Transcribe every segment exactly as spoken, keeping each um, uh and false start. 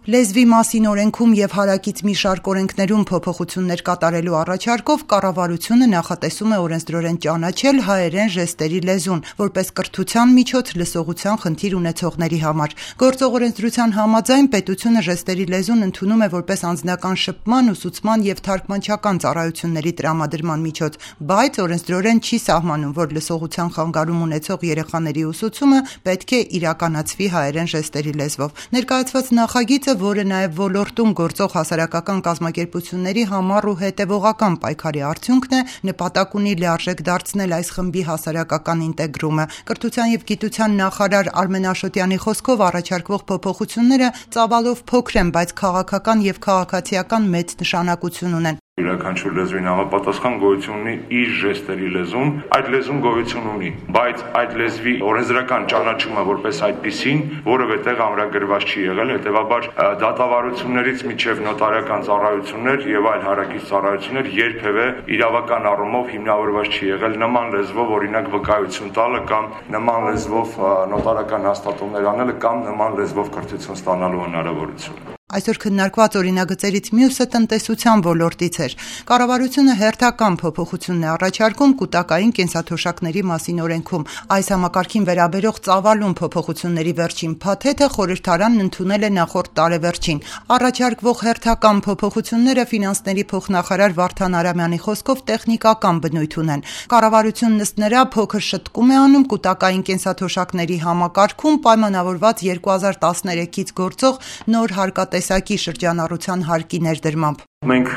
Լեզվի մասին օրենքում և հարակից մի շարք օրենքներում փոփոխություններ կատարելու առաջարկով կառավարությունը նախատեսում է օրենսդրորեն ճանաչել հայերեն ժեստերի լեզուն, որպես կրթության միջոց լսողության խնդիր ունեցողների համար։ Գործող օրենսդրության համաձայն պետությունը ժեստերի լեզուն ընդունում է որպես անձնական շփման, ուսուցման և թարգմանչական ծառայությունների տրամադրման միջոց, բայց օրենսդրորեն չի սահմանում, որ լսողության խանգարում ունեցող երեխաների ուսուցումը պետք է իրականացվի հայերեն ժեստերի լեզվով։ Ներկայացված նախագիծը, որը նաև ոլորտում գործող հասարակական կազմակերպությունների համառ ու հետևողական պայքարի արդյունքն է, նպատակ ունի լիարժեք դարձնել այս խմբի հասարակական ինտեգրումը։ Կրթության և գիտության նախարար Արմեն Աշոտյանի խոսքով առաջարկվող փոփոխությունները ծավալով փոքր են, բայց քաղաքական և քաղաքացիական մեծ նշանակություն ունեն։ Յուրաքանչյուր լեզվին համապատասխան գոյություն ունի իր ժեստերի լեզուն, այդ լեզուն գոյություն ունի, բայց այդ լեզվի օրենսդրական ճանաչումը որպես այդպիսին որևէ տեղ ամրագրված չի եղել, հետևաբար դատավարություններից մինչև նոտարիական ծառայություններ եւ այլ հարակից ծառայություններ երբևէ իրավական առումով հիմնավորված չի եղել նման լեզվով օրինակ վկայություն տալը կամ նման լեզվով նոտարիական հաստատումներ անելը կամ նման լեզվով կրթություն ստանալու հնարավորություն։ Այսօր քննարկված օրինագծերից մյուսը տնտեսության ոլորտից էր։ Կառավարությունը հերթական փոփոխություն է առաջարկում կուտակային կենսաթոշակների մասին օրենքում։ Այս համակարգին վերաբերող ծավալուն փոփոխությունների վերջին փաթեթը խորհրդարանն ընդունել է նախորդ տարեվերջին։ Առաջարկվող հերթական փոփոխությունները ֆինանսների փոխնախարար Վարդան Արամյանի խոսքով տեխնիկական բնույթ ունեն։ Կառավարությունն ըստ նրա փոքր շտկում է անում կուտակային կենսաթոշակների համակարգում պայմանավորված երկու հազար տասներեքից գործող նոր հարկատեսակի շրջանառության հարկի ներդրմամբ։ Մենք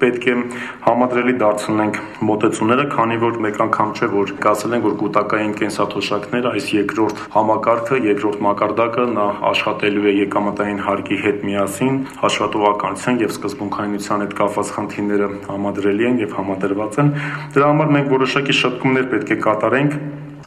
պետք է համադրելի դարձնենք մոտեցումները, քանի որ մեկ անգամ չէ, որ ասել են, որ կուտակային կենսաթոշակները այս երկրորդ համակարգը, երկրորդ մակարդակը նա աշխատելու է եկամտային հարկի հետ միասին, հաշվետվողականության եւ սկզբունքայնության հետ կապված խնդիրները համադրելի են եւ համադրված են։ Դրա համար մենք որոշակի շտկումներ պետք է կատարենք։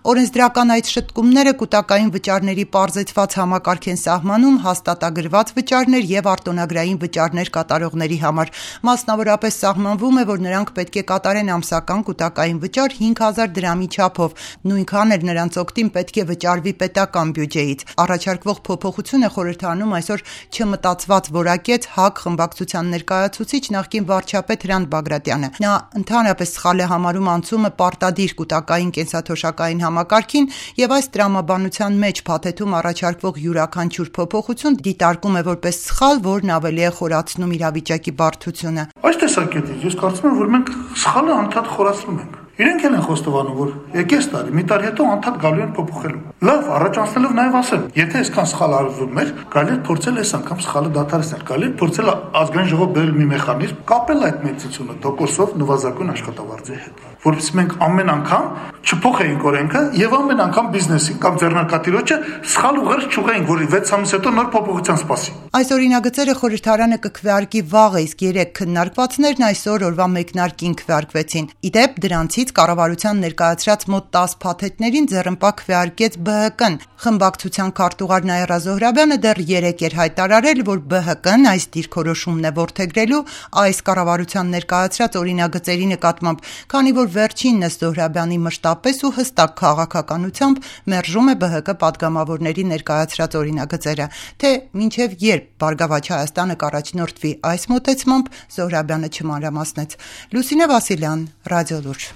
Օրենսդրական այդ շտկումները կուտակային վճարների պարզեցված համակարգ են սահմանում հաստատագրված վճարներ եւ արտոնագրային վճարներ կատարողների համար։ Մասնավորապես սահմանվում է, որ նրանք պետք է կատարեն ամսական կուտակային վճար հինգ հազար դրամի չափով, նույնքան էլ նրանց օգտին պետք է վճարվի պետական բյուջեից։ Առաջարկվող փոփոխությունը խորհրդարանում այսօր չմտածված որակեց ՀԱԿ խմբակցության ներկայացուցիչ նախկին վարչապետ Հրանտ Բագրատյանը։ Նա ընդհանրապես սխալ է համարում անցումը պարտադիր կուտակային կենսաթոշակային համակարգին եւ այս տրամաբանության մեջ փաթեթում առաջարկվող յուրաքանչյուր փոփոխություն դիտարկում է որպես սխալ, որն ավելի է խորացնում իրավիճակի բարդությունը։ Այս տեսակետից ես կարծում եմ, որ մենք սխալը անդադ խորացնում ենք։ Իրենք են խոստովանում, որ եկես տարի, մի տարի հետո անդադ գալու են փոփոխելու։ Լավ, առաջանցնելով նաև ասեմ, եթե այսքան սխալ արվում էր, գալի է փորձել այս անգամ սխալը դադարեցնել, գալի է փորձել ազգային ժողով բերել մի մեխանիզմ, կապել այդ մեծությունը տոկոսով նվազագույն աշխատավարձի հետ, որովհետեւ մենք ամեն անգամ չփոխեինք օրենքը եւ ամեն անգամ բիզնեսին կամ ձեռնարկատիրոջը սխալ ուղերձ չուղեինք, որ վեց ամիս հետո նոր փոփոխության սպասի։ Այս օրինագծերը խորհրդարանը կքվեարկի վաղը, իսկ երեք քննարկվածներն այսօր օրվա մեկնարկին քվեարկվեցին։ Իդեպ դրանցից կառավարության ներկայացրած մոտ տասը փաթեթներին ձեռնպա քվեարկեց B H K-ն։ Խմբակցության քարտուղար Նաիրա Զոհրաբյանը դեռ երեկ էր հայտարարել, որ B H K-ն այս դիրքորոշումն է որդեգրելու այս կառավարության ներկայացրած օրինագծերի նկատմամբ, քանի որ վերջինն ըստ Զոհրաբյանի մշտապես ու հստակ քաղաքականությամբ մերժում է B H K պատգամավորների ներկայացրած օրինագծերը։ Թե մինչև երբ Բարգավաճ Հայաստանը կառաջնորդվի այս մոտեցմամբ, Զոհրաբյանը չմանրամասնեց։ Լուսինե Վասիլյան, Ռադիոլուրջ։